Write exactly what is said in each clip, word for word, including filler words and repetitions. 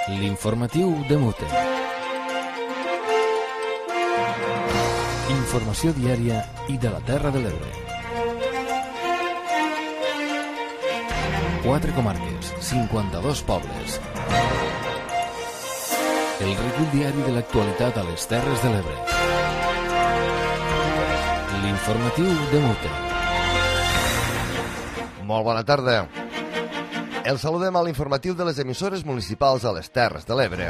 L'informatiu de Mute. Informació diària i de la Terra de l'Ebre. Quatre comarques, cinquanta-dos pobles. El recull diari de l'actualitat a les Terres de l'Ebre. L'informatiu de Mute. Molt bona tarda. El saludem a l'informatiu de les emissores municipals a les Terres de l'Ebre.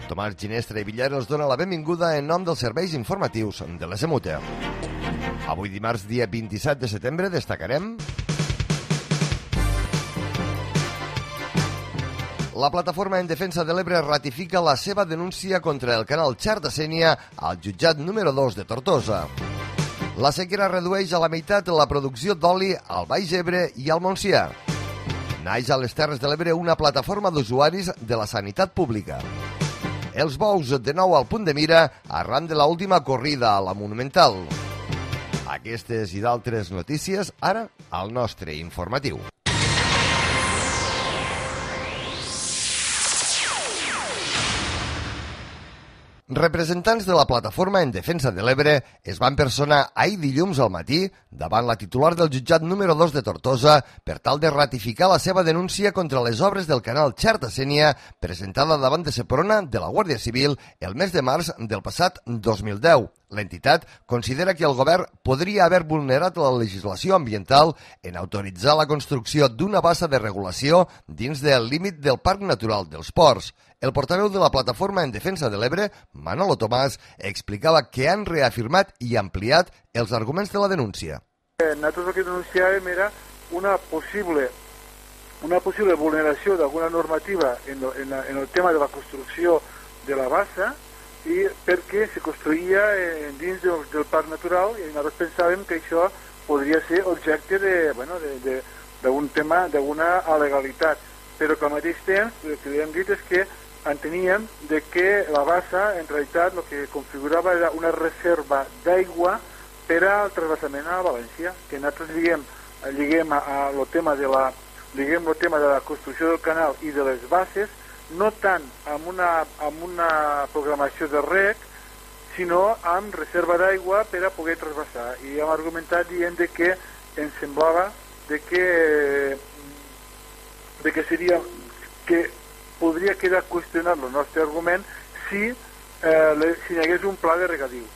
Tomàs Ginestra i Villar els dona la benvinguda en nom dels serveis informatius de les Emute. Avui dimarts, dia vint-i-set de setembre, destacarem... La plataforma en defensa de l'Ebre ratifica la seva denúncia contra el canal Xerta-Sénia al jutjat número dos de Tortosa. La sequera redueix a la meitat la producció d'oli al Baix Ebre i al Montsià. Naix a les Terres de l'Ebre una plataforma d'usuaris de la sanitat pública. Els bous de nou al punt de mira arran de l'última corrida a la Monumental. Aquestes i d'altres notícies ara al nostre informatiu. Representants de la plataforma en defensa de l'Ebre es van personar ahir dilluns al matí davant la titular del jutjat número dos de Tortosa per tal de ratificar la seva denúncia contra les obres del canal Xerta-Sénia presentada davant de Seprona de la Guàrdia Civil el mes de març del passat dos mil deu. L'entitat considera que el govern podria haver vulnerat la legislació ambiental en autoritzar la construcció d'una bassa de regulació dins del límit del Parc Natural dels Ports. El portaveu de la plataforma en defensa de l'Ebre, Manolo Tomàs, explicava que han reafirmat i ampliat els arguments de la denúncia. Nosaltres el que denunciàvem era una possible, una possible vulneració d'alguna normativa en, en, en el tema de la construcció de la bassa i perquè se construïa dins del, del Parc Natural i nosaltres pensàvem que això podria ser objecte de, bueno, de, de, d'un tema, d'una alegalitat, però que al mateix temps el que hem dit és que enteníem de que la bassa en realitat el que configurava era una reserva d'aigua per al transvasament a València, que nosaltres lliguem, lliguem a, a el tema de la lliguem el tema de la construcció del canal i de les basses, no tant amb una, amb una programació de rec, sinó amb reserva d'aigua per a poder transvasar. I hem argumentat dient de que ens semblava de que, de que seria que podria quedar qüestionat el nostre argument si, eh, si hi hagués un pla de regadiu.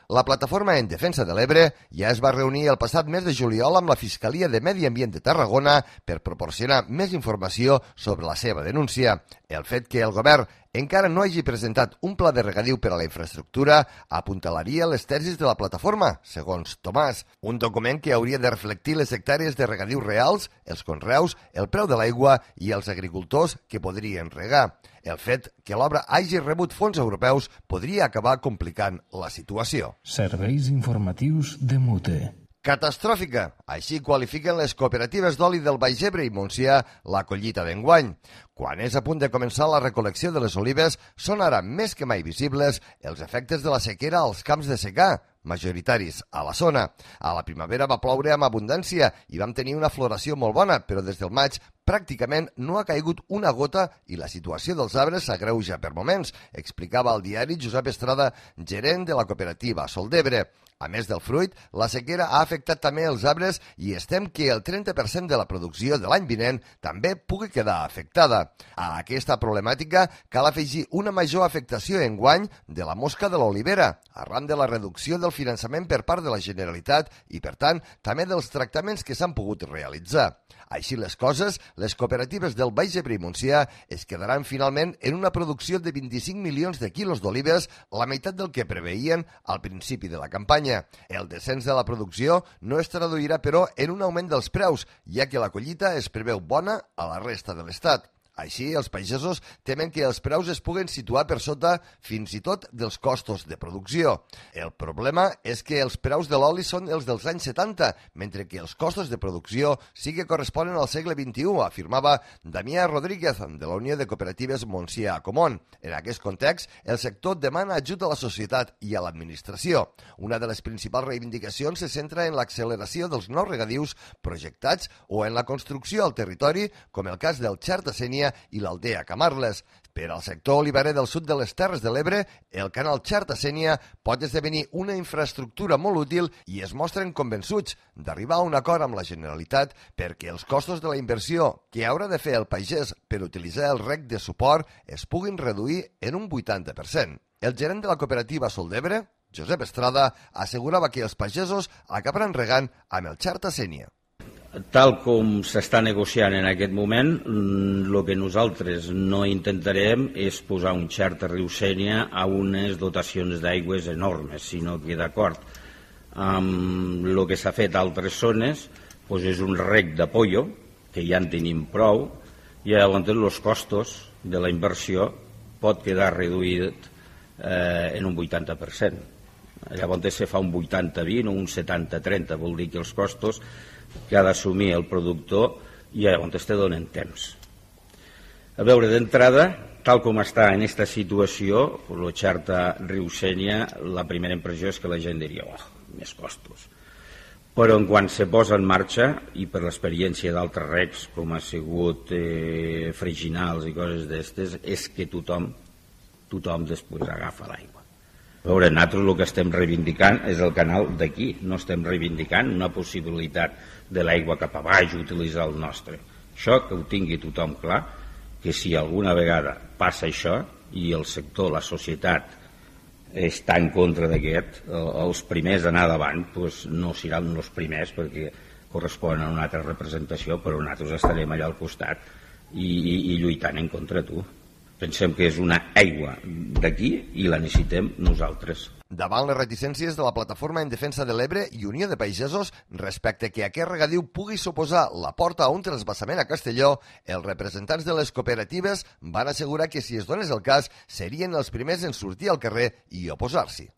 La plataforma en defensa de l'Ebre ja es va reunir el passat mes de juliol amb la Fiscalia de Medi Ambient de Tarragona per proporcionar més informació sobre la seva denúncia. El fet que el govern encara no hagi presentat un pla de regadiu per a la infraestructura apuntalaria les tesis de la plataforma, segons Tomàs. Un document que hauria de reflectir les hectàrees de regadiu reals, els conreus, el preu de l'aigua i els agricultors que podrien regar. El fet que l'obra hagi rebut fons europeus podria acabar complicant la situació. Serveis informatius de Mute. Catastròfica. Així qualifiquen les cooperatives d'oli del Baix Ebre i Montsià la collita d'enguany. Quan és a punt de començar la recol·lecció de les olives, són ara més que mai visibles els efectes de la sequera als camps de secà, majoritaris a la zona. A la primavera va ploure amb abundància i vam tenir una floració molt bona, però des del maig pràcticament no ha caigut una gota i la situació dels arbres s'agreuja per moments, explicava al diari Josep Estrada, gerent de la cooperativa Sol d'Ebre. A més del fruit, la sequera ha afectat també els arbres i estem que el trenta per cent de la producció de l'any vinent també pugui quedar afectada. A aquesta problemàtica cal afegir una major afectació enguany de la mosca de l'olivera, arran de la reducció del finançament per part de la Generalitat i, per tant, també dels tractaments que s'han pogut realitzar. Així les coses, les cooperatives del Baix Ebre i Montsià es quedaran finalment en una producció de vint-i-cinc milions de quilos d'olives, la meitat del que preveien al principi de la campanya. El descens de la producció no es traduirà, però, en un augment dels preus, ja que la collita es preveu bona a la resta de l'Estat. Així, els pagesos temen que els preus es puguen situar per sota fins i tot dels costos de producció. El problema és que els preus de l'oli són els dels anys setanta, mentre que els costos de producció sí que corresponen al segle vint-i-u, afirmava Damià Rodríguez, de la Unió de Cooperatives Montsià-Comón. En aquest context, el sector demana ajut a la societat i a l'administració. Una de les principals reivindicacions se centra en l'acceleració dels nous regadius projectats o en la construcció al territori, com el cas del Xerta-Sénia, Sénia i l'Aldea Camarles. Per al sector oliverer del sud de les Terres de l'Ebre, el canal Xerta-Sénia pot esdevenir una infraestructura molt útil i es mostren convençuts d'arribar a un acord amb la Generalitat perquè els costos de la inversió que haurà de fer el pagès per utilitzar el rec de suport es puguin reduir en un vuitanta per cent. El gerent de la cooperativa Sol d'Ebre, Josep Estrada, assegurava que els pagesos acabaran regant amb el Xerta-Sénia. Tal com s'està negociant en aquest moment, el que nosaltres no intentarem és posar un Xerta riu Sénia a unes dotacions d'aigües enormes, sinó que d'acord amb el que s'ha fet a altres zones, doncs és un rec de pollo, que ja en tenim prou, i llavors els costos de la inversió pot quedar reduït eh, en un vuitanta per cent. Llavors se fa un vuitanta vint o un setanta trenta, vol dir que els costos que ha d'assumir el productor i llavors te donen temps. A veure, d'entrada, tal com està en aquesta situació, el Xerta riu Sénia, la primera impressió és que la gent diria, oh, més costos. Però en quan se posa en marxa, i per l'experiència d'altres recs, com ha sigut eh, freginals i coses d'estes, és que tothom, tothom després agafa l'aigua. A veure, nosaltres el que estem reivindicant és el canal d'aquí, no estem reivindicant una possibilitat de l'aigua cap a baix, utilitzar el nostre. Això que ho tingui tothom clar, que si alguna vegada passa això i el sector, la societat, està en contra d'aquest, els primers a anar davant doncs no seran els primers perquè corresponen a una altra representació, però nosaltres estarem allà al costat i, i, i lluitant en contra tu. Pensem que és una aigua d'aquí i la necessitem nosaltres. Davant les reticències de la Plataforma en Defensa de l'Ebre i Unió de Pagesos respecte que aquest regadiu pugui suposar la porta a un transvasament a Castelló, els representants de les cooperatives van assegurar que si es donés el cas serien els primers en sortir al carrer i oposar-s'hi.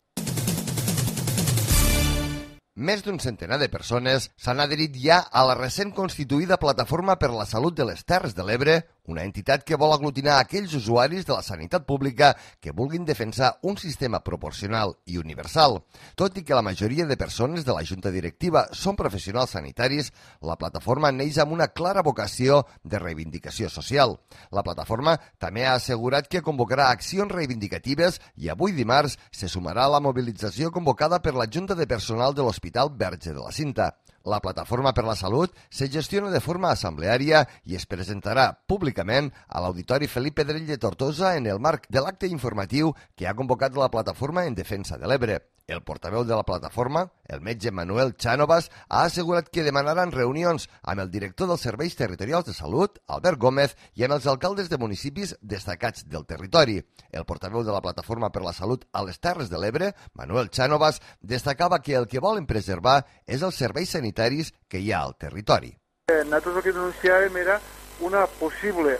Més d'un centenar de persones s'han adherit ja a la recent constituïda Plataforma per la Salut de les Terres de l'Ebre, una entitat que vol aglutinar aquells usuaris de la sanitat pública que vulguin defensar un sistema proporcional i universal. Tot i que la majoria de persones de la Junta Directiva són professionals sanitaris, la plataforma neix amb una clara vocació de reivindicació social. La plataforma també ha assegurat que convocarà accions reivindicatives i avui dimarts se sumarà a la mobilització convocada per la Junta de Personal de l'Hospital Verge de la Cinta. La Plataforma per la Salut se gestiona de forma assembleària i es presentarà públicament a l'Auditori Felip Pedrell de Tortosa en el marc de l'acte informatiu que ha convocat la Plataforma en Defensa de l'Ebre. El portaveu de la plataforma, el metge Manuel Chánovas, ha assegurat que demanaran reunions amb el director dels Serveis Territorials de Salut, Albert Gómez, i amb els alcaldes de municipis destacats del territori. El portaveu de la Plataforma per la Salut a les Terres de l'Ebre, Manuel Chánovas, destacava que el que volen preservar és els serveis sanitaris que hi ha al territori. Nosaltres el que denunciàvem era una possible,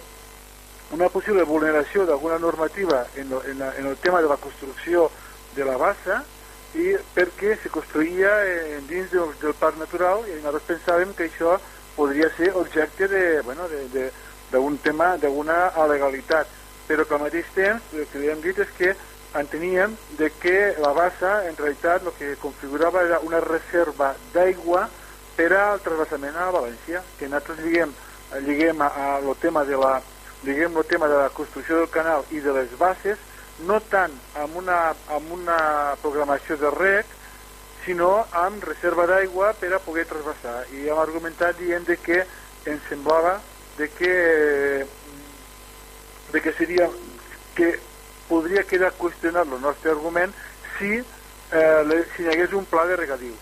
una possible vulneració d'alguna normativa en, en, la, en el tema de la construcció de la bassa, i perquè se construïa eh, dins del, del parc natural i nosaltres pensàvem que això podria ser objecte de, bueno, d'un tema, d'una alegalitat, però que al mateix temps el que li hem dit és que enteníem de que la bassa en realitat el que configurava era una reserva d'aigua per al transvasament a València, que nosaltres lliguem, lliguem a, a el tema de la, lliguem el tema de la construcció del canal i de les basses, no tant amb una, amb una programació de rec, sinó amb reserva d'aigua per a poder transvasar. I hem argumentat dient de que ens semblava de que, de que seria que podria quedar qüestionat el nostre argument si, eh, si hi hagués un pla de regadiu.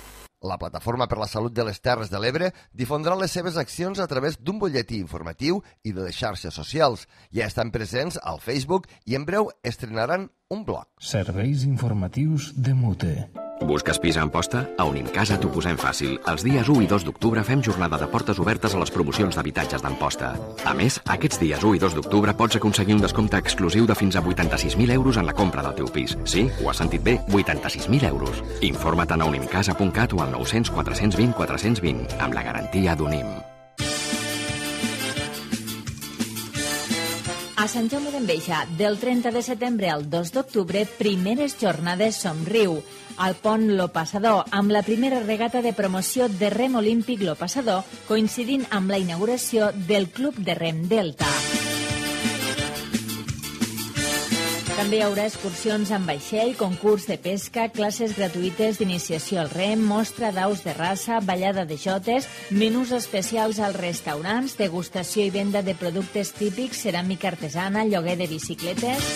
La Plataforma per la Salut de les Terres de l'Ebre difondrà les seves accions a través d'un butlletí informatiu i de les xarxes socials. Ja estan presents al Facebook i en breu estrenaran un blog. Serveis informatius de Mute. Busques pis a Amposta? A Unimcasa t'ho posem fàcil. Els dies u i dos d'octubre fem jornada de portes obertes a les promocions d'habitatges d'Amposta. A més, aquests dies u i dos d'octubre pots aconseguir un descompte exclusiu de fins a vuitanta-sis mil euros en la compra del teu pis. Sí, ho has sentit bé, vuitanta-sis mil euros. Informa't a unimcasa punt cat o al nou cents quatre cents vint quatre cents vint, amb la garantia d'Unim. A Sant Jaume d'Enveja, del trenta de setembre al dos d'octubre, primeres jornades Somriu. Al pont Lo Passador, amb la primera regata de promoció de rem olímpic Lo Passador, coincidint amb la inauguració del Club de Rem Delta. També hi haurà excursions amb vaixell, concurs de pesca, classes gratuïtes d'iniciació al rem, mostra d'aus de raça, ballada de jotes, menús especials als restaurants, degustació i venda de productes típics, ceràmica artesana, lloguer de bicicletes.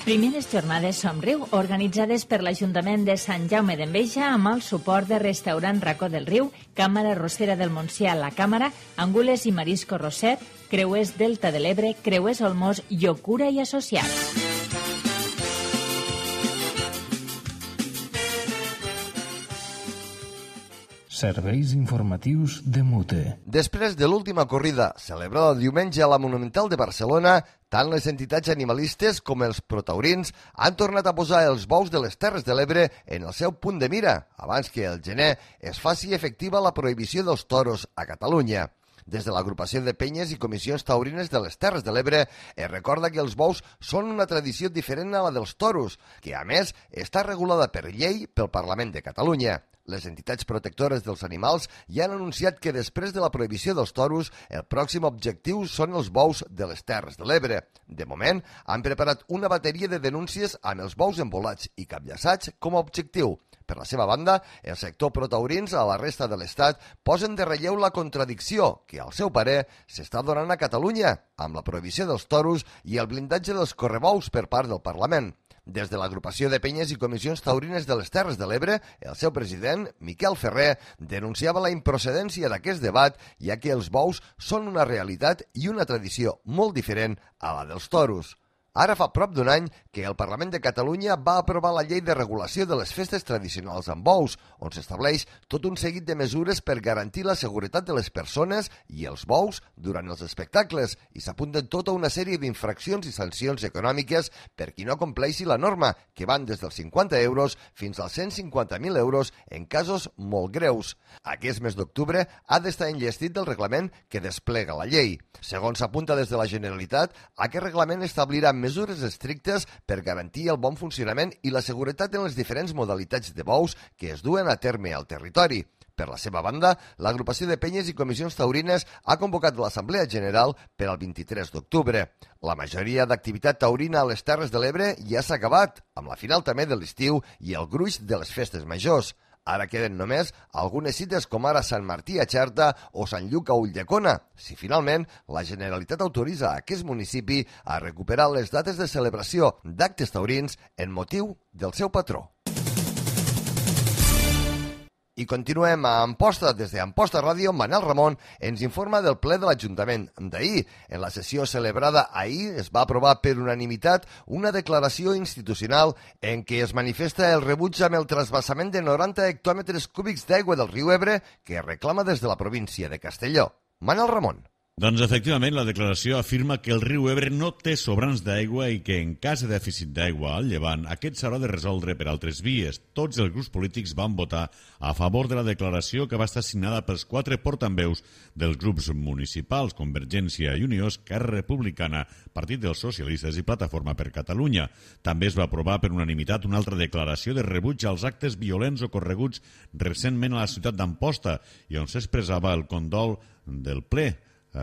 Primeres jornades Somriu, organitzades per l'Ajuntament de Sant Jaume d'Enveja amb el suport de Restaurant Racó del Riu, Càmera Rossera del Montsià, La Càmera, Angules i Marisco Roset, Creuers Delta de l'Ebre, Creuers Olmos, Llocura i Associats. Serveis informatius de Mute. Després de l'última corrida, celebrada el diumenge a la Monumental de Barcelona, tant les entitats animalistes com els protaurins han tornat a posar els bous de les Terres de l'Ebre en el seu punt de mira, abans que el gener es faci efectiva la prohibició dels toros a Catalunya. Des de l'agrupació de penyes i comissions taurines de les Terres de l'Ebre es recorda que els bous són una tradició diferent a la dels toros, que a més està regulada per llei pel Parlament de Catalunya. Les entitats protectores dels animals ja han anunciat que després de la prohibició dels toros, el pròxim objectiu són els bous de les Terres de l'Ebre. De moment, han preparat una bateria de denúncies amb els bous embolats i capllaçats com a objectiu. Per la seva banda, el sector protaurins a la resta de l'Estat posen de relleu la contradicció que, al seu parer, s'està donant a Catalunya amb la prohibició dels toros i el blindatge dels correbous per part del Parlament. Des de l'agrupació de penyes i comissions taurines de les Terres de l'Ebre, el seu president, Miquel Ferrer, denunciava la improcedència d'aquest debat, ja que els bous són una realitat i una tradició molt diferent a la dels toros. Ara fa prop d'un any que el Parlament de Catalunya va aprovar la llei de regulació de les festes tradicionals amb bous, on s'estableix tot un seguit de mesures per garantir la seguretat de les persones i els bous durant els espectacles i s'apunten tota una sèrie d'infraccions i sancions econòmiques per qui no compleixi la norma, que van des dels cinquanta euros fins als cent cinquanta mil euros en casos molt greus. Aquest mes d'octubre ha d'estar enllestit del reglament que desplega la llei. Segons s'apunta des de la Generalitat, aquest reglament establirà mesures estrictes per garantir el bon funcionament i la seguretat en les diferents modalitats de bous que es duen a terme al territori. Per la seva banda, l'agrupació de penyes i comissions taurines ha convocat l'Assemblea General per al vint-i-tres d'octubre. La majoria d'activitat taurina a les Terres de l'Ebre ja s'ha acabat, amb la final també de l'estiu i el gruix de les festes majors. Ara queden només algunes cites com ara Sant Martí a Xerta o Sant Lluc a Ulldecona, si finalment la Generalitat autoritza a aquest municipi a recuperar les dates de celebració d'actes taurins en motiu del seu patró. I continuem a Amposta. Des d'Amposta Ràdio, Manel Ramon ens informa del ple de l'Ajuntament d'ahir. En la sessió celebrada ahir es va aprovar per unanimitat una declaració institucional en què es manifesta el rebuig amb el trasbassament de noranta hectòmetres cúbics d'aigua del riu Ebre que reclama des de la província de Castelló. Manel Ramon. Doncs efectivament la declaració afirma que el riu Ebre no té sobrants d'aigua i que en cas de dèficit d'aigua al llevant aquest s'haurà de resoldre per altres vies. Tots els grups polítics van votar a favor de la declaració que va estar signada pels quatre portaveus dels grups municipals, Convergència i Unió, Esquerra Republicana, Partit dels Socialistes i Plataforma per Catalunya. També es va aprovar per unanimitat una altra declaració de rebuig als actes violents ocorreguts recentment a la ciutat d'Amposta i on s'expressava el condol del ple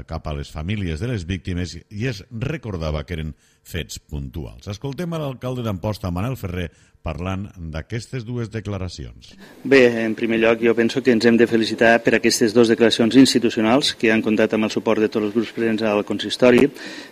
cap a les famílies de les víctimes i es recordava que eren fets puntuals. Escoltem a l'alcalde d'Amposta, Manel Ferrer, parlant d'aquestes dues declaracions. Bé, en primer lloc, jo penso que ens hem de felicitar per aquestes dues declaracions institucionals que han comptat amb el suport de tots els grups presents al consistori.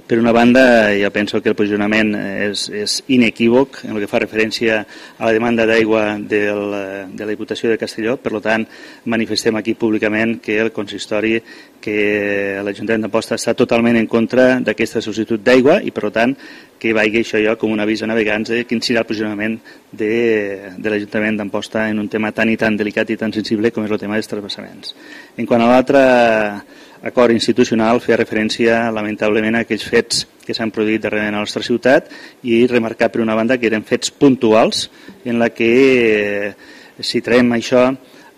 Per una banda, jo penso que el posicionament és, és inequívoc en el que fa referència a la demanda d'aigua del, de la Diputació de Castelló. Per tant, manifestem aquí públicament que el consistori, que l'Ajuntament d'Amposta està totalment en contra d'aquesta sol·licitud d'aigua i, per tant, que vagi això jo com un avís a navegants de quin serà el posicionament de, de l'Ajuntament d'Amposta en un tema tan i tan delicat i tan sensible com és el tema dels transvassaments. En quant a l'altre acord institucional, feia referència lamentablement a aquells fets que s'han produït darrerament a la nostra ciutat i remarcar per una banda que eren fets puntuals en la que eh, si traiem això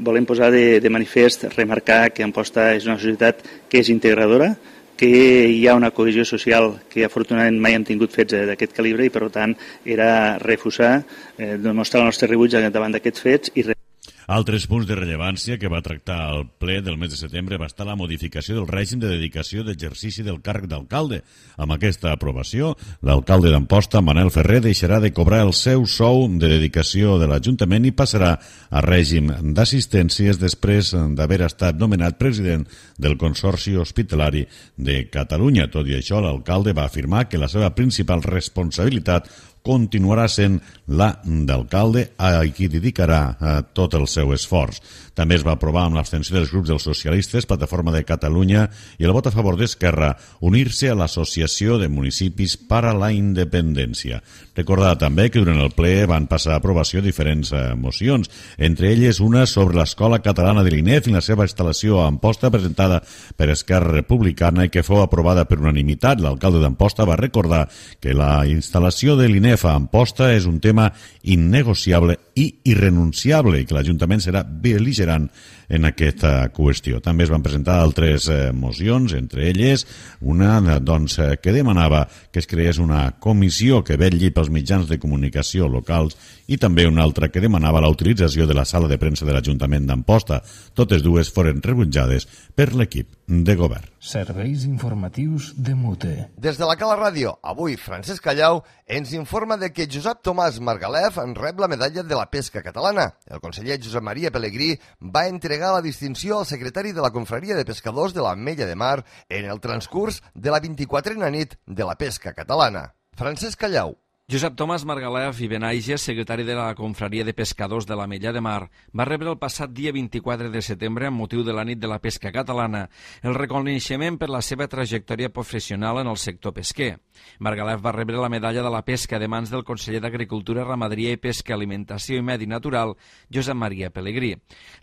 volem posar de, de manifest, remarcar que Amposta és una societat que és integradora, que hi ha una cohesió social que afortunadament mai hem tingut fets d'aquest calibre i per tant era refusar, eh, demostrar el nostre rebuig davant d'aquests fets i Altres punts de rellevància que va tractar el ple del mes de setembre va estar la modificació del règim de dedicació d'exercici del càrrec d'alcalde. Amb aquesta aprovació, l'alcalde d'Amposta, Manel Ferrer, deixarà de cobrar el seu sou de dedicació de l'Ajuntament i passarà a règim d'assistències després d'haver estat nomenat president del Consorci Hospitalari de Catalunya. Tot i això, l'alcalde va afirmar que la seva principal responsabilitat continuarà sent la d'alcalde, a qui dedicarà eh, tot el seu esforç. També es va aprovar amb l'abstenció dels grups dels socialistes, Plataforma de Catalunya i el vot a favor d'Esquerra unir-se a l'Associació de Municipis per a la Independència. Recordar també que durant el ple van passar a aprovació diferents eh, mocions, entre elles una sobre l'Escola Catalana de l'I N E F i la seva instal·lació a Amposta, presentada per Esquerra Republicana i que fou aprovada per unanimitat. L'alcalde d'Amposta va recordar que la instal·lació de l'I N E F a Amposta és un tema innegociable i irrenunciable i que l'Ajuntament serà bel·ligerant en aquesta qüestió. També es van presentar altres eh, mocions, entre elles una doncs, que demanava que es creés una comissió que vetlli pels mitjans de comunicació locals i també una altra que demanava la utilització de la sala de premsa de l'Ajuntament d'Amposta. Totes dues foren rebutjades per l'equip de govern. Serveis informatius de Mute. Des de la Cala Ràdio, avui Francesc Callau ens informa de que Josep Tomàs Margalef en rep la medalla de la pesca catalana. El conseller Josep Maria Pelegrí va entregar la distinció al secretari de la Confraria de Pescadors de l'Ametlla de Mar en el transcurs de la vint-i-quatrena nit de la pesca catalana. Francesc Callau. Josep Tomàs Margalef i Benaiges, secretari de la Confraria de Pescadors de l'Ametlla de Mar, va rebre el passat dia vint-i-quatre de setembre, amb motiu de la nit de la pesca catalana, el reconeixement per la seva trajectòria professional en el sector pesquer. Margalef va rebre la medalla de la pesca de mans del conseller d'Agricultura, Ramaderia i Pesca, Alimentació i Medi Natural, Josep Maria Pelegrí.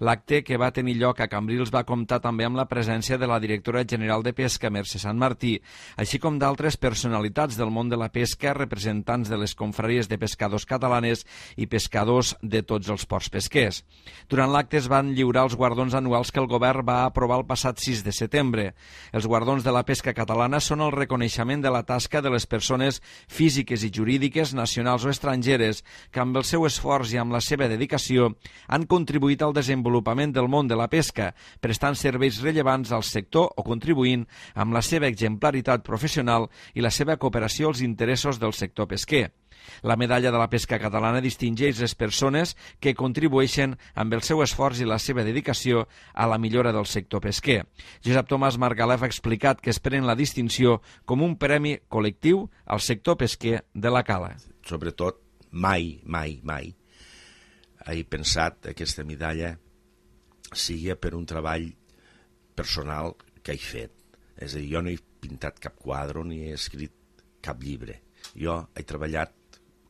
L'acte, que va tenir lloc a Cambrils, va comptar també amb la presència de la directora general de Pesca, Mercè Sant Martí, així com d'altres personalitats del món de la pesca, representants de les confraries de pescadors catalanes i pescadors de tots els ports pesquers. Durant l'acte es van lliurar els guardons anuals que el govern va aprovar el passat sis de setembre. Els guardons de la pesca catalana són el reconeixement de la tasca de les persones físiques i jurídiques, nacionals o estrangeres, que amb el seu esforç i amb la seva dedicació han contribuït al desenvolupament del món de la pesca, prestant serveis rellevants al sector o contribuint amb la seva exemplaritat professional i la seva cooperació als interessos del sector pesquer. La medalla de la pesca catalana distingeix les persones que contribueixen amb el seu esforç i la seva dedicació a la millora del sector pesquer. Josep Tomàs Margalef ha explicat que esperen la distinció com un premi col·lectiu al sector pesquer de la Cala. Sobretot, mai, mai, mai he pensat que aquesta medalla sigui per un treball personal que he fet. És a dir, jo no he pintat cap quadre ni he escrit cap llibre. Jo he treballat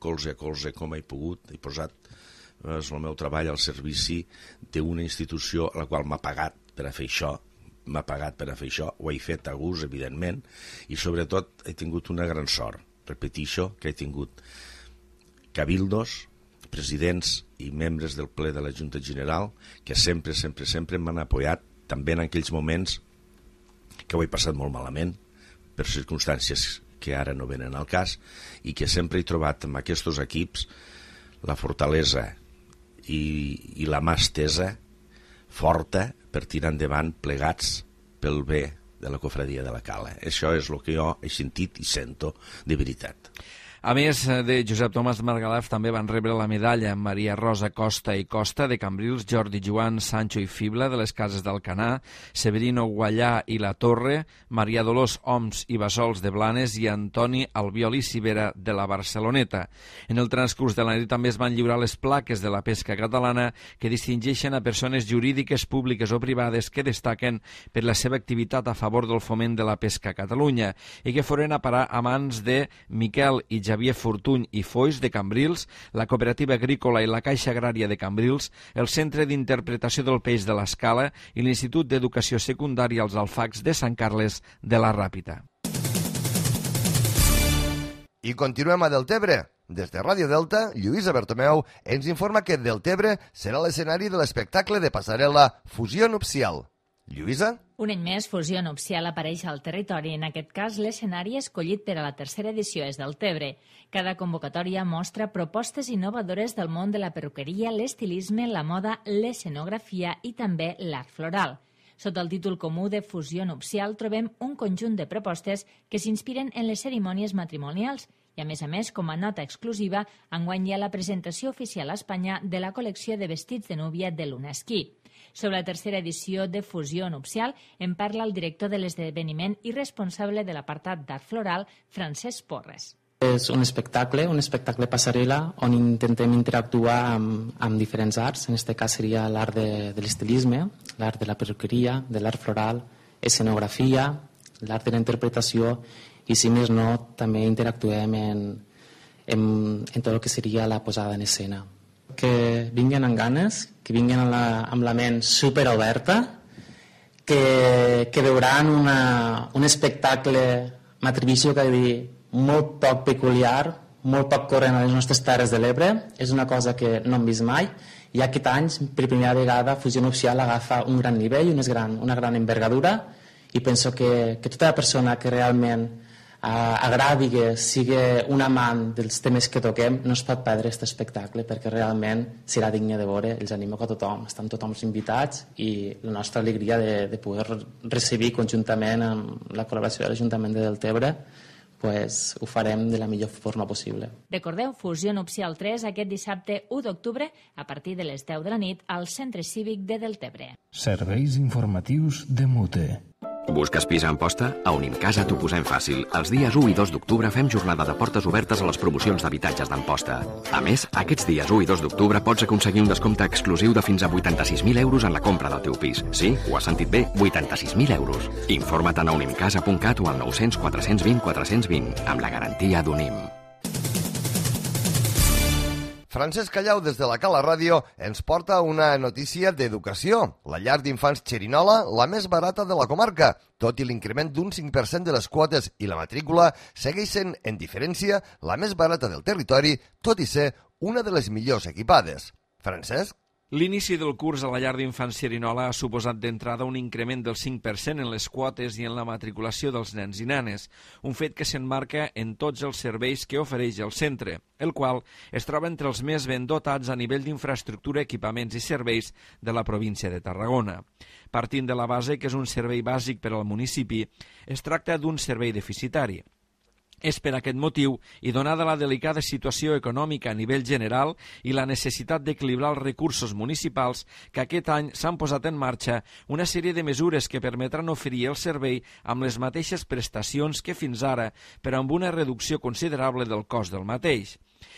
colze a colze com he pogut, he posat eh, el meu treball al servici d'una institució a la qual m'ha pagat per a fer això, m'ha pagat per a fer això, ho he fet a gust, evidentment, i sobretot he tingut una gran sort, repetixo, que he tingut cabildos, presidents i membres del ple de la Junta General que sempre, sempre, sempre m'han apoyat, també en aquells moments que ho he passat molt malament, per circumstàncies que ara no venen al cas, i que sempre he trobat en aquests equips la fortalesa i, i la mà estesa forta per tirar endavant plegats pel bé de la cofradia de la Cala. Això és el que jo he sentit i sento de veritat. A més de Josep Tomàs Margalef, també van rebre la medalla Maria Rosa Costa i Costa de Cambrils, Jordi Joan Sancho i Fibla de les Cases d'Alcanar, Severino Guallà i La Torre, Maria Dolors Oms i Bassols de Blanes i Antoni Albiol i Cibera de la Barceloneta. En el transcurs de la nit també es van lliurar les plaques de la pesca catalana que distingeixen a persones jurídiques, públiques o privades que destaquen per la seva activitat a favor del foment de la pesca a Catalunya i que foren a parar a mans de Miquel i Javier Fortuny i Foix de Cambrils, la Cooperativa Agrícola i la Caixa Agrària de Cambrils, el Centre d'Interpretació del Peix de l'Escala i l'Institut d'Educació Secundària als Alfacs de Sant Carles de la Ràpita. I continuem a Deltebre. Des de Ràdio Delta, Lluïsa Bertomeu ens informa que Deltebre serà l'escenari de l'espectacle de passarel·la Fusió Nupcial. Lluïsa? Un any més, Fusió Nupcial apareix al territori. En aquest cas, l'escenari escollit per a la tercera edició és Deltebre. Cada convocatòria mostra propostes innovadores del món de la perruqueria, l'estilisme, la moda, l'escenografia i també l'art floral. Sota el títol comú de Fusió Nupcial trobem un conjunt de propostes que s'inspiren en les cerimònies matrimonials i, a més a més, com a nota exclusiva, enguany hi ha la presentació oficial a Espanya de la col·lecció de vestits de núvia de l'Unesquí. Sobre la tercera edició de Fusió Nupcial en parla el director de l'esdeveniment i responsable de l'apartat d'art floral, Francesc Porres. És un espectacle, un espectacle passarel·la on intentem interactuar amb, amb diferents arts. En aquest cas seria l'art de, de l'estilisme, l'art de la perruqueria, de l'art floral, escenografia, l'art de la interpretació i, si més no, també interactuem en, en, en tot el que seria la posada en escena. Que vinguin amb ganes, que vinguin amb la, amb la ment superoberta, que, que veuran una, un espectacle, m'atreviso a dir, molt poc peculiar, molt poc corrent a les nostres Terres de l'Ebre. És una cosa que no hem vist mai i aquest any, per primera vegada, Fusió Nupcial agafa un gran nivell, una gran, una gran envergadura i penso que, que tota persona que realment eh, agradi, que sigui un amant dels temes que toquem, no es pot perdre aquest espectacle perquè realment serà digne de veure. Els animo a tothom, estan tothom invitats i la nostra alegria de, de poder recibir conjuntament amb la col·laboració de l'Ajuntament de Deltebre, pues ho farem de la millor forma possible. Recordeu, Fusió Nupcial tres aquest dissabte u d'octubre a partir de les deu de la nit al Centre Cívic de Deltebre. Serveis informatius de Mute. Busques pis a Amposta? A Unimcasa t'ho posem fàcil. Els dies u i dos d'octubre fem jornada de portes obertes a les promocions d'habitatges d'Amposta. A més, aquests dies u i dos d'octubre pots aconseguir un descompte exclusiu de fins a vuitanta-sis mil euros en la compra del teu pis. Sí, ho has sentit bé, vuitanta-sis mil euros. Informa't a unimcasa punt cat o al nou cents quatre cents vint quatre cents vint, amb la garantia d'Unim. Francesc Callau, des de la Cala Ràdio, ens porta una notícia d'educació. La llar d'infants Xerinola, la més barata de la comarca. Tot i l'increment d'un cinc per cent de les quotes i la matrícula, segueix sent, en diferència, la més barata del territori, tot i ser una de les millors equipades. Francesc? L'inici del curs a la llar d'infants Xerinola ha suposat d'entrada un increment del cinc per cent en les quotes i en la matriculació dels nens i nenes, un fet que s'emmarca en tots els serveis que ofereix el centre, el qual es troba entre els més ben dotats a nivell d'infraestructura, equipaments i serveis de la província de Tarragona. Partint de la base que és un servei bàsic per al municipi, es tracta d'un servei deficitari. És per aquest motiu, i donada la delicada situació econòmica a nivell general i la necessitat d'equilibrar els recursos municipals, que aquest any s'han posat en marxa una sèrie de mesures que permetran oferir el servei amb les mateixes prestacions que fins ara, però amb una reducció considerable del cost del mateix.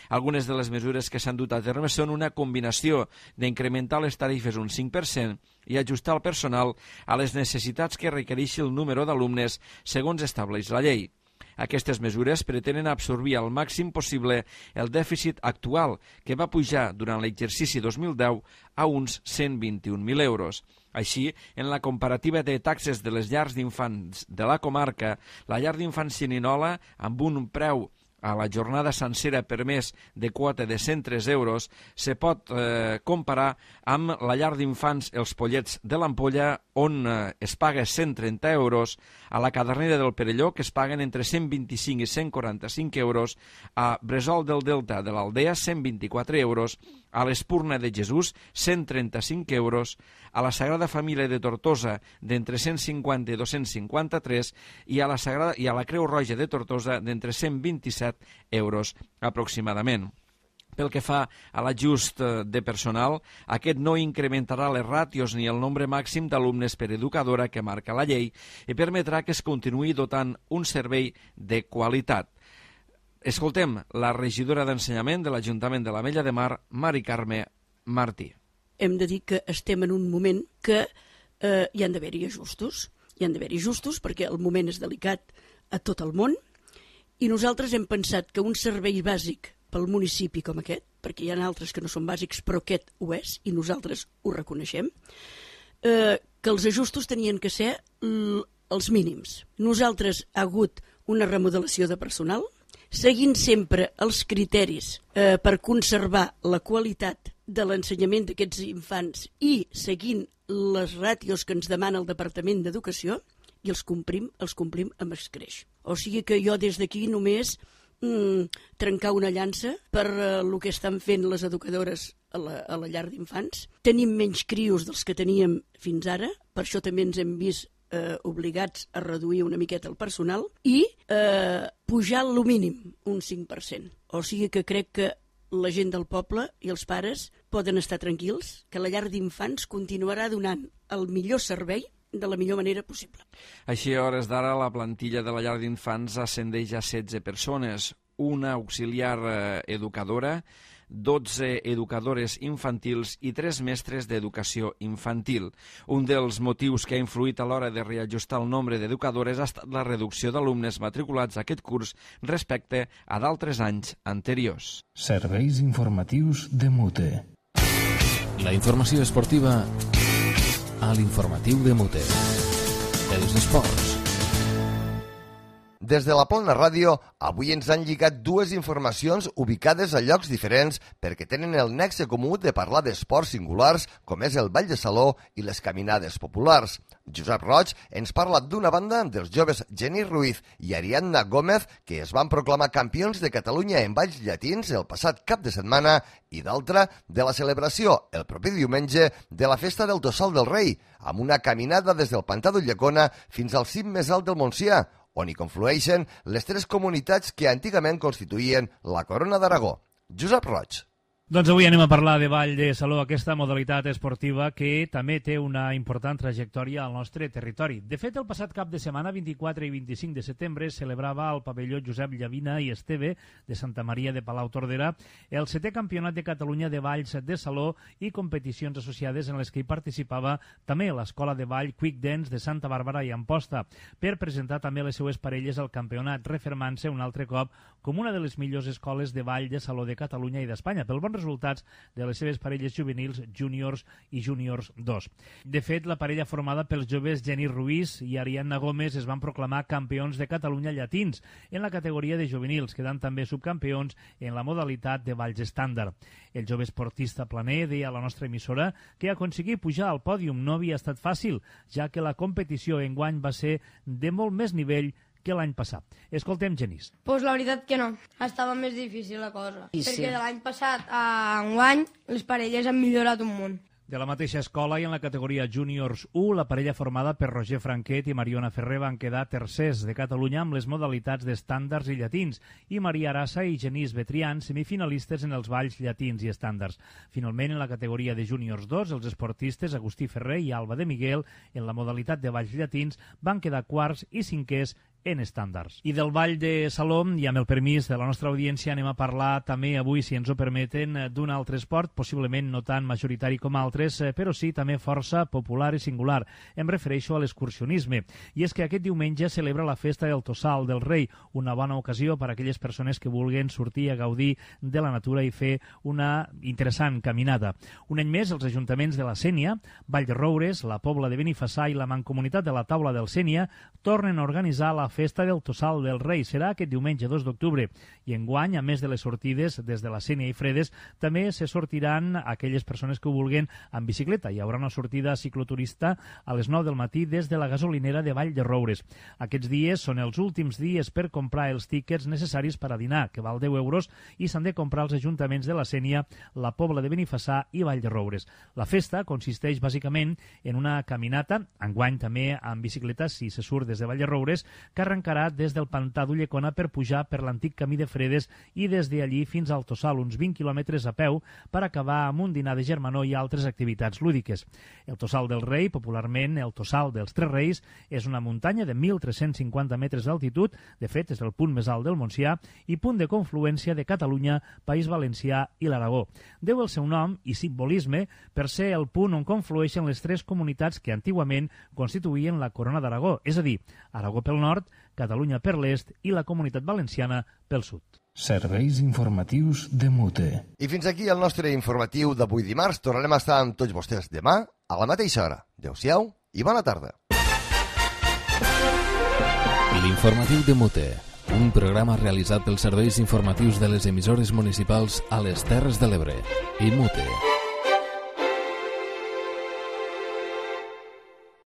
Algunes de les mesures que s'han dut a terme són una combinació d'incrementar les tarifes un cinc per cent i ajustar el personal a les necessitats que requereixi el número d'alumnes segons estableix la llei. Aquestes mesures pretenen absorbir al màxim possible el dèficit actual, que va pujar durant l'exercici dos mil deu a uns cent vint-i-un mil euros. Així, en la comparativa de taxes de les llars d'infants de la comarca, la llar d'infants Xerinola, amb un preu a la jornada sencera per mes de quota de cent tres euros, se pot eh, comparar amb la llar d'infants Els Pollets de l'Ampolla, on eh, es paga cent trenta euros, a la Cadernera del Perelló, que es paguen entre cent vint-i-cinc i cent quaranta-cinc euros, a Bresol del Delta de l'Aldea, cent vint-i-quatre euros, a l'Espurna de Jesús, cent trenta-cinc euros, a la Sagrada Família de Tortosa, d'entre cent cinquanta i dos-cents cinquanta-tres, i a la Sagrada i a la Creu Roja de Tortosa, d'entre cent vint-i-set euros aproximadament. Pel que fa a l'ajust de personal, aquest no incrementarà les ràtios ni el nombre màxim d'alumnes per educadora que marca la llei i permetrà que es continuï dotant un servei de qualitat. Escoltem la regidora d'Ensenyament de l'Ajuntament de l'Ametlla de Mar, Mari Carme Martí. Hem de dir que estem en un moment que eh, hi han d'haver-hi ajustos. Hi han d'haver-hi ajustos perquè el moment és delicat a tot el món i nosaltres hem pensat que un servei bàsic pel municipi com aquest, perquè hi ha altres que no són bàsics, però aquest ho és, i nosaltres ho reconeixem, eh, que els ajustos tenien que ser els mínims. Nosaltres ha hagut una remodelació de personal, seguint sempre els criteris eh, per conservar la qualitat de l'ensenyament d'aquests infants i seguint les ràtios que ens demana el Departament d'Educació i els complim, els complim amb escreix. O sigui que jo des d'aquí només mm, trencar una llança per uh, el que estan fent les educadores a la, a la llar d'infants. Tenim menys crios dels que teníem fins ara, per això també ens hem vist eh, obligats a reduir una miqueta el personal i eh, pujar lo mínim, un cinc per cent. O sigui que crec que la gent del poble i els pares poden estar tranquils, que la llar d'infants continuarà donant el millor servei de la millor manera possible. Així, a hores d'ara, la plantilla de la llar d'infants ascendeix a setze persones, una auxiliar eh, educadora, dotze educadores infantils i tres mestres d'educació infantil. Un dels motius que ha influït a l'hora de reajustar el nombre d'educadores ha estat la reducció d'alumnes matriculats a aquest curs respecte a d'altres anys anteriors. Serveis informatius de Mute. La informació esportiva a l'informatiu de Mute. Els esports. Des de la Plana Ràdio, avui ens han lligat dues informacions ubicades a llocs diferents perquè tenen el nexe comú de parlar d'esports singulars com és el ball de saló i les caminades populars. Josep Roig ens parla d'una banda dels joves Genís Ruiz i Ariadna Gómez que es van proclamar campions de Catalunya en balls llatins el passat cap de setmana i d'altra de la celebració el proper diumenge de la Festa del Tossal del Rei amb una caminada des del Pantà d'Ulldecona fins al cim més alt del Montsià, on hi conflueixen les tres comunitats que antigament constituïen la Corona d'Aragó. Josep Roig. Doncs avui anem a parlar de ball de saló, aquesta modalitat esportiva que també té una important trajectòria al nostre territori. De fet, el passat cap de setmana, vint-i-quatre i vint-i-cinc de setembre, celebrava al pavelló Josep Llavina i Esteve de Santa Maria de Palau-Tordera el setè campionat de Catalunya de balls de saló i competicions associades en les que hi participava també l'escola de ball Quick Dance de Santa Bàrbara i Amposta, per presentar també les seues parelles al campionat, refermant-se un altre cop com una de les millors escoles de ball de saló de Catalunya i d'Espanya, pel bon resultats de les seves parelles juvenils, júniors i júniors dos. De fet, la parella formada pels joves Genís Ruiz i Ariadna Gómez es van proclamar campions de Catalunya llatins en la categoria de juvenils, quedant també subcampions en la modalitat de balls estàndard. El jove esportista planer deia a la nostra emissora que aconseguir pujar al pòdium no havia estat fàcil, ja que la competició enguany va ser de molt més nivell que l'any passat. Escoltem Genís. Pues la veritat que no. Estava més difícil la cosa. I perquè sí. de l'any passat a enguany les parelles han millorat un munt. De la mateixa escola i en la categoria Júniors u, la parella formada per Roger Franquet i Mariona Ferrer van quedar tercers de Catalunya amb les modalitats d'estàndards i llatins i Maria Arassa i Genís Betrián semifinalistes en els balls llatins i estàndards. Finalment, en la categoria de Júniors dos, els esportistes Agustí Ferrer i Alba de Miguel en la modalitat de balls llatins van quedar quarts i cinquers en estàndards. I del ball de saló, i amb el permís de la nostra audiència, anem a parlar també avui, si ens ho permeten, d'un altre esport, possiblement no tan majoritari com altres, però sí també força popular i singular. Em refereixo a l'excursionisme. I és que aquest diumenge celebra la festa del Tossal del Rei, una bona ocasió per a aquelles persones que vulguin sortir a gaudir de la natura i fer una interessant caminada. Un any més, els ajuntaments de la Sénia, Vall de Roures, la Pobla de Benifassà i la Mancomunitat de la Taula del Sénia tornen a organitzar la Festa del Tossal del Rei. Serà aquest diumenge dos d'octubre i enguany, a més de les sortides des de la Sénia i Fredes, també se sortiran aquelles persones que ho vulguin en bicicleta. Hi haurà una sortida cicloturista a les nou del matí des de la gasolinera de Vall de Roures. Aquests dies són els últims dies per comprar els tíquets necessaris per a dinar, que val deu euros, i s'han de comprar els ajuntaments de la Sénia, la Pobla de Benifassà i Vall de Roures. La festa consisteix bàsicament en una caminata, enguany també amb bicicleta si se surt des de Vall de Roures, que arrencarà des del Pantà d'Ulldecona per pujar per l'antic camí de Fredes i des d'allí fins al Tossal, uns vint quilòmetres a peu, per acabar amb un dinar de germanor i altres activitats lúdiques. El Tossal del Rei, popularment el Tossal dels Tres Reis, és una muntanya de mil tres-cents cinquanta metres d'altitud, de fet és el punt més alt del Montsià i punt de confluència de Catalunya, País Valencià i l'Aragó. Deu el seu nom i simbolisme per ser el punt on conflueixen les tres comunitats que antigament constituïen la Corona d'Aragó, és a dir, Aragó pel nord, Catalunya per l'est i la Comunitat Valenciana pel sud. Serveis informatius de Mute. I fins aquí el nostre informatiu d'avui dimarts. Tornarem a estar amb tots vostès demà a la mateixa hora. Adéu-siau i bona tarda. L'informatiu de Mute, un programa realitzat pels serveis informatius de les emissores municipals a les Terres de l'Ebre i Mute.